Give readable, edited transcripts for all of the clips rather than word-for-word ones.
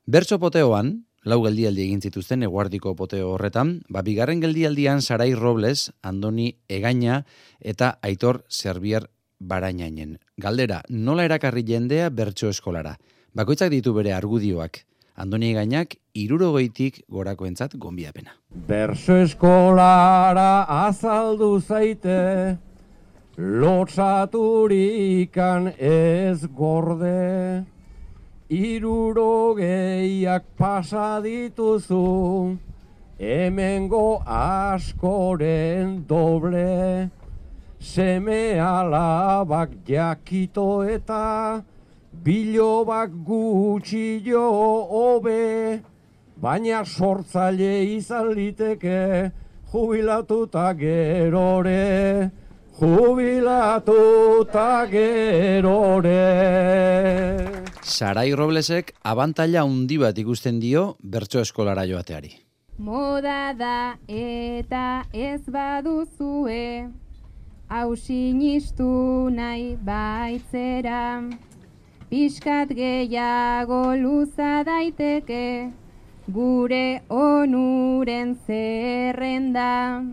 Bertso poteoan, lau geldialdi egin zituzten eguardiko poteo horretan, bigarren geldialdian Sarai Robles, Andoni Egaña eta Aitor Zerbier Barainainen. Galdera, nola erakarri jendea bertso eskolara? Bakoitzak ditu bere argudioak. Andoni Egañak 60tik gorakoentzat gonbiapena. Bertso eskolara azaldu zaite, lotsaturikan ez gorde, 60ak pasa dituzu, hemengo askoren doble, seme alabak jakito eta bilobak gutxillo hobe, baina sortzaile izan liteke jubilatuta gerore, jubilatuta gerore. Sarai Roblesek abantaila handi bat ikusten dio bertso eskolara joateari. Moda da eta ez baduzue, hau sinistu nahi baitzera, pixkat gehiago luza daiteke, gure onuren zerrenda.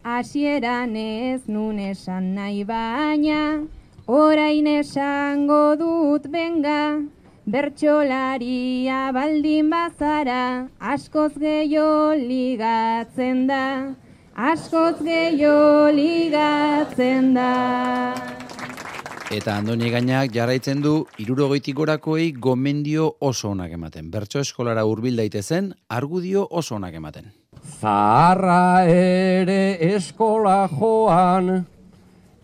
Hasieran ez nun esan nahi baina, orain esango dut benga, bertsolaria baldin bazara, askoz gehiago ligatzen da, askoz gehiago ligatzen da. Eta Andoni Egañak jarraitzen du 60tik gorakoei gomendio oso onak ematen. Bertso eskolara hurbil daitezen, argudio oso onak ematen. Zaharra ere eskola joan,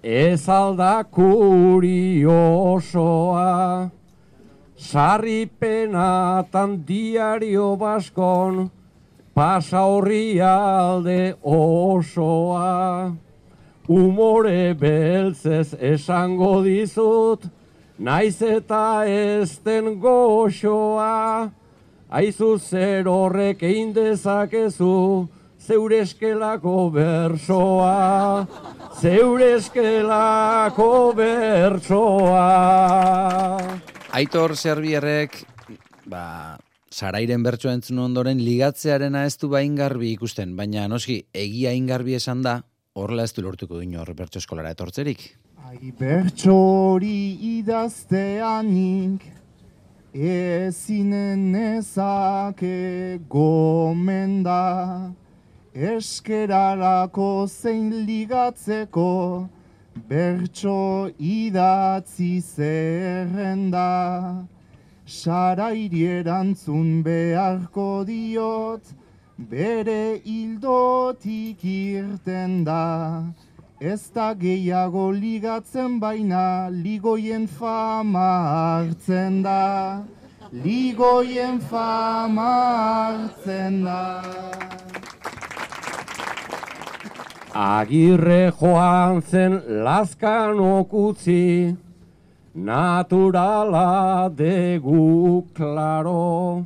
ez alda kuriosoa, sarripenatan diario baskon, pasa horri alde osoa. Umore beltzez esango dizut, naiz eta ez den goxoa, aizu zer horrek egin dezakezu, zeure eskelako bertsoa, zeure eskelako bertsoa. Aitor Zerbierrek, Sarairen bertsoa entzun ondoren ligatzearena ez du ingarbi ikusten, baina noski egia ingarbi esan da, horrela ez du lortuko inor bertso eskolara etortzerik. Ai bertsori idazteanik, ezinen nezake gomenda, eskerarako zein ligatzeko, bertso idatzi zerrenda. Sarairi erantzun beharko diot, bere hildotik irten da. Ez da gehiago ligatzen baina, ligoien fama hartzen da. Ligoien fama hartzen da. Agirre joan zen Lazkanok utzi, naturala degu klaro.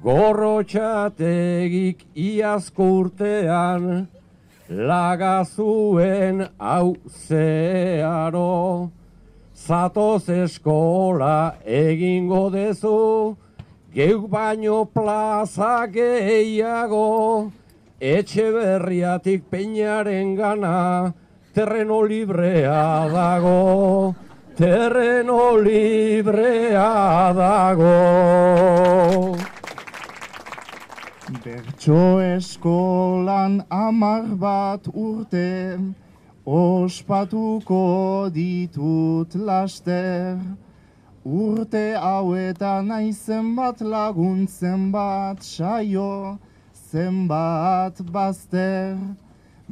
Gorrotxategik iazko urtean, laga zuen hau zeharo. Zatoz eskola egingo dezu, geuk baino plaza gehiago. Etxeberriatik Peñaren gana, terreno librea dago, terreno librea dago. Bertso eskolan 10 bat urte, ospatuko ditut laster. Urte hauetan naizen bat lagun, zenbat saio, zenbat bazter.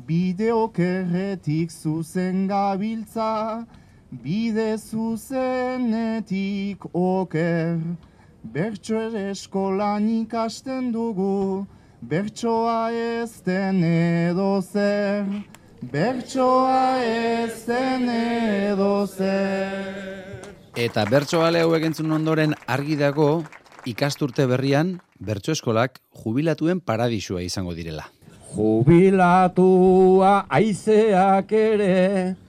Bideokerretik zuzen gabiltza, bide zuzenetik oker. Bertso eskolan ikasten dugu, bertsoa ez den edozer. Bertsoa ez den edozer. Eta bertsoale hauek entzun ondoren argi dago, ikasturte berrian, bertso eskolak jubilatuen paradisua izango direla. Jubilatua aizeak ere,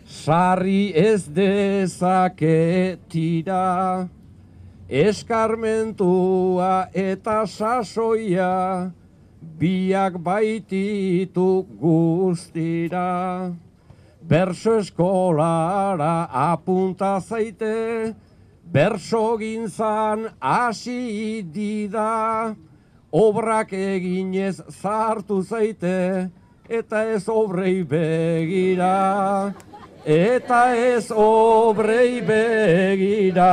sarri ez dezake tira. eskarmentua eta sasoia, biak baititu guztira. Berso eskolara apunta zaite, berso gintzan hasi dida, obrak eginez zartu zaite, eta ez obrei begira, eta ez obrei begira.